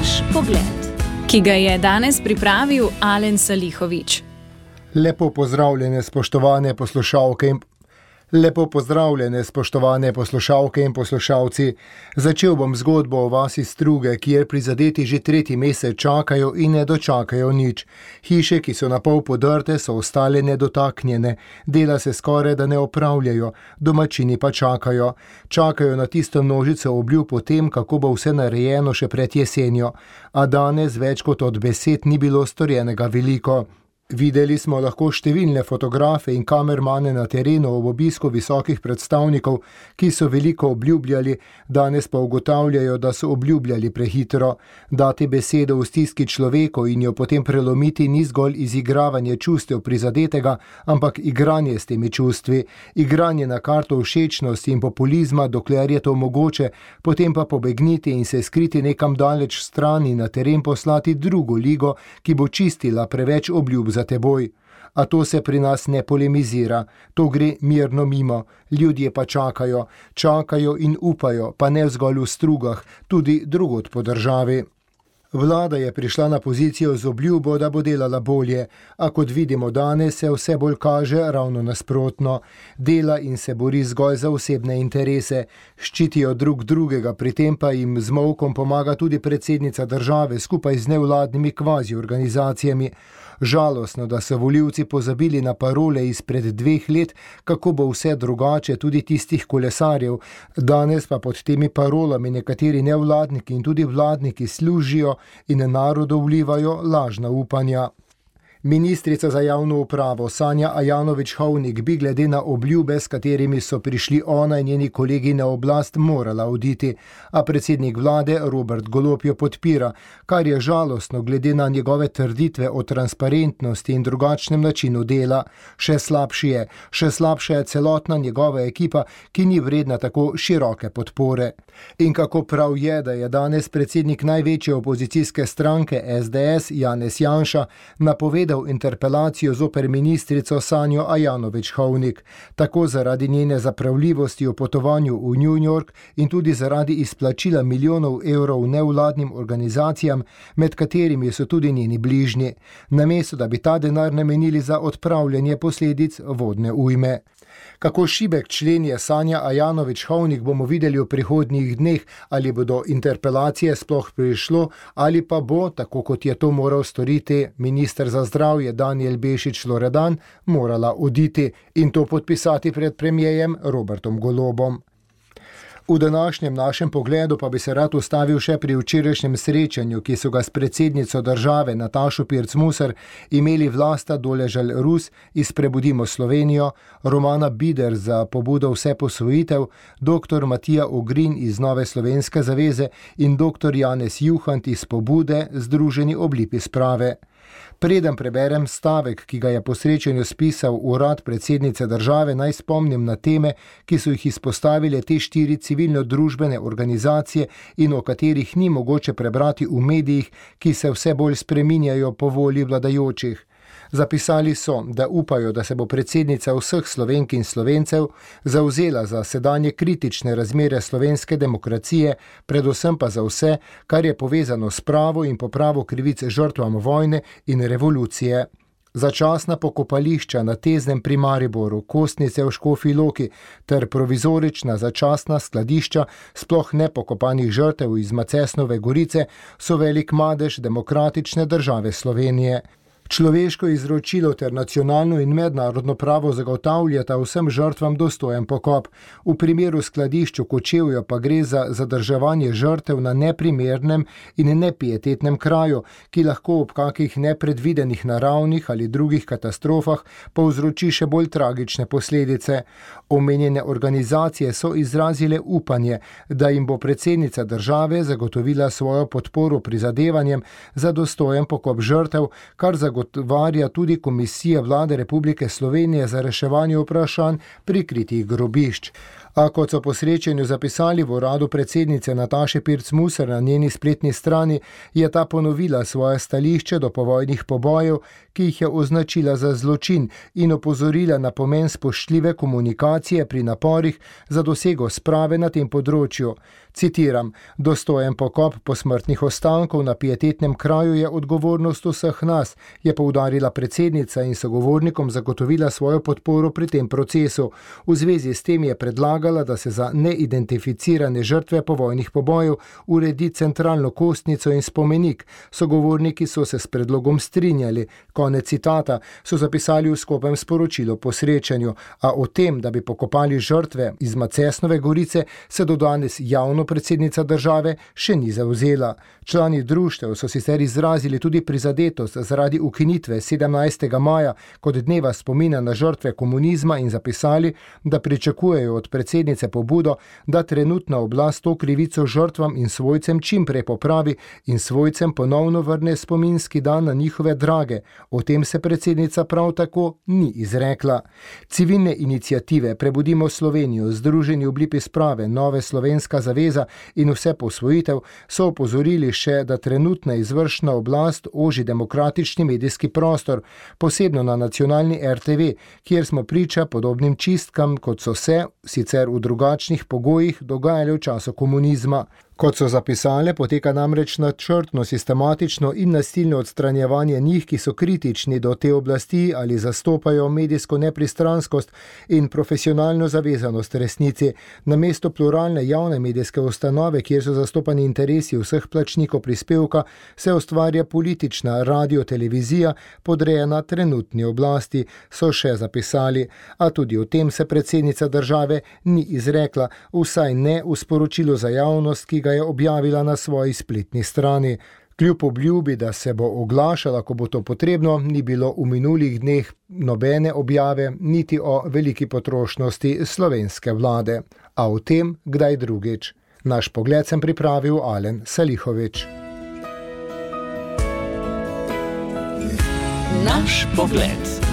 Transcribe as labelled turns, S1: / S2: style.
S1: Naš pogled, ki ga je danes pripravil Alen Salihović.
S2: Lepo pozdravljene, spoštovane poslušalke in poslušalci. Začel bom zgodbo o vasi Struge, kjer prizadeti že tretji mesec čakajo in ne dočakajo nič. Hiše, ki so na pol podrte, so ostale nedotaknjene. Dela se skoraj da ne opravljajo, domačini pa čakajo. Čakajo na tisto množico obljub o tem, kako bo vse narejeno še pred jesenjo. A danes več kot od besed ni bilo storjenega veliko. Videli smo lahko številne fotografe in kamermane na terenu ob obisku visokih predstavnikov, ki so veliko obljubljali, danes pa ugotavljajo, da so obljubljali prehitro. Dati besedo v stiski človeku in jo potem prelomiti ni zgolj izigravanje čustev prizadetega, ampak igranje s temi čustvi, igranje na karto všečnosti in populizma, dokler je to mogoče, potem pa pobegniti in se skriti nekam daleč stran in na teren poslati drugo ligo, ki bo čistila preveč obljub za teboj. A to se pri nas ne polemizira, to gre mirno mimo, ljudje pa čakajo in upajo, pa ne zgolj v Strugah, tudi drugod po državi. Vlada je prišla na pozicijo z obljubo, da bo delala bolje, a kot vidimo danes, se vse bolj kaže ravno nasprotno. Dela in se bori zgolj za osebne interese, ščitijo drug drugega, pri tem pa jim z molkom pomaga tudi predsednica države skupaj z nevladnimi kvazi organizacijami. Žalostno, da so volivci pozabili na parole izpred 2 let, kako bo vse drugače, tudi tistih kolesarjev. Danes pa pod temi parolami nekateri nevladniki in tudi vladniki služijo in narodu vlivajo lažna upanja. Ministrica za javno upravo Sanja Ajanović-Hovnik bi glede na obljube, s katerimi so prišli ona in njeni kolegi na oblast, morala oditi, a predsednik vlade Robert Golob jo podpira, kar je žalostno glede na njegove trditve o transparentnosti in drugačnem načinu dela. Še slabša je celotna njegova ekipa, ki ni vredna tako široke podpore. In kako prav je, da je danes predsednik največje opozicijske stranke SDS Janez Janša napovedal interpelacijo zoper ministrico Sanjo Ajanović-Hovnik, tako zaradi njene zapravljivosti o potovanju v New York in tudi zaradi izplačila milijonov evrov nevladnim organizacijam, med katerimi so tudi njeni bližnji, namesto da bi ta denar namenili za odpravljanje posledic vodne ujme. Kako šibek člen je Sanja Ajanović-Hovnik, bomo videli v prihodnjih dneh, ali bo do interpelacije sploh prišlo, ali pa bo, tako kot je to moral storiti minister za zdravje Danijel Bešič Loredan, morala oditi in to podpisati pred premierjem Robertom Golobom. V današnjem našem pogledu pa bi se rad ustavil še pri včerajšnjem srečanju, ki so ga s predsednico države Natašo Pirc Musar imeli Vlasta Doležal Rus iz Prebudimo Slovenijo, Romana Bider za pobudo Vse posvojitev, dr. Matija Ogrin iz Nove slovenske zaveze in dr. Janez Juhant iz pobude Združeni oblipi sprave. Preden preberem stavek, ki ga je po srečanju spisal urad predsednice države, naj spomnim na teme, ki so jih izpostavile te 4 civilno-družbene organizacije in o katerih ni mogoče prebrati v medijih, ki se vse bolj spreminjajo po volji vladajočih. Zapisali so, da upajo, da se bo predsednica vseh Slovenk in Slovencev zavzela za sedanje kritične razmere slovenske demokracije, predvsem pa za vse, kar je povezano s pravo in popravo krivic žrtvam vojne in revolucije. Začasna pokopališča na Teznem pri Mariboru, Kostnice v Škofji Loki ter provizorična začasna skladišča sploh nepokopanih žrtev iz Macesnove Gorice so velik madež demokratične države Slovenije. Človeško izročilo ter nacionalno in mednarodno pravo zagotavljata vsem žrtvam dostojen pokop. V primeru skladišču Kočevja pa gre za zadrževanje žrtev na neprimernem in nepietetnem kraju, ki lahko ob kakih nepredvidenih naravnih ali drugih katastrofah povzroči še bolj tragične posledice. Omenjene organizacije so izrazile upanje, da jim bo predsednica države zagotovila svojo podporo prizadevanjem za dostojen pokop žrtev, kar zagovarja tudi Komisija Vlade Republike Slovenije za reševanje vprašanj prikritih grobišč. A kot so po srečanju zapisali v uradu predsednice Nataše Pirc-Musar na njeni spletni strani, je ta ponovila svoje stališče do povojnih pobojev, ki jih je označila za zločin in opozorila na pomen spoštljive komunikacije pri naporih za dosego sprave na tem področju. Citiram: "Dostojen pokop posmrtnih ostankov na pietetnem kraju je odgovornost vseh nas," je poudarila predsednica in sogovornikom zagotovila svojo podporo pri tem procesu. V zvezi s tem je predlagala, da se za neidentificirane žrtve povojnih pobojev uredi centralno kostnico in spomenik. Sogovorniki so se s predlogom strinjali. Konec citata, so zapisali v skupnem sporočilu po srečanju, a o tem, da bi pokopali žrtve iz Macesnove Gorice, se do danes javno predsednica države še ni zavzela. Člani društev so sicer izrazili tudi prizadetost zaradi ukinitve 17. maja kot dneva spomina na žrtve komunizma in zapisali, da pričakujejo od predsednice pobudo, da trenutna oblast to krivico žrtvam in svojcem čim prej popravi in svojcem ponovno vrne spominski dan na njihove drage. O tem se predsednica prav tako ni izrekla. Civilne iniciative Prebudimo Slovenijo, Združeni v blipi sprave, Nove Slovenska zaveza in Vse posvojitev so opozorili še, da trenutna izvršna oblast oži demokratični medijski prostor, posebno na nacionalni RTV, kjer smo priča podobnim čistkam, kot so se, sicer v drugačnih pogojih, dogajale v času komunizma. Kot so zapisale, poteka namreč načrtno, sistematično in nasilno odstranjevanje njih, ki so kritični do te oblasti ali zastopajo medijsko nepristranskost in profesionalno zavezanost resnici. Namesto pluralne javne medijske ustanove, kjer so zastopani interesi vseh plačnikov prispevka, se ustvarja politična radiotelevizija, podrejena trenutni oblasti, so še zapisali. A tudi o tem se predsednica države ni izrekla, vsaj ne v sporočilu za javnost, ki ga je objavila na svoji spletni strani. Kljub obljubi, da se bo oglašala, ko bo to potrebno, ni bilo v minulih dneh nobene objave, niti o veliki potrošnosti slovenske vlade. A o tem kdaj drugič. Naš pogled sem pripravil Alen Salihovič.
S3: Naš pogled.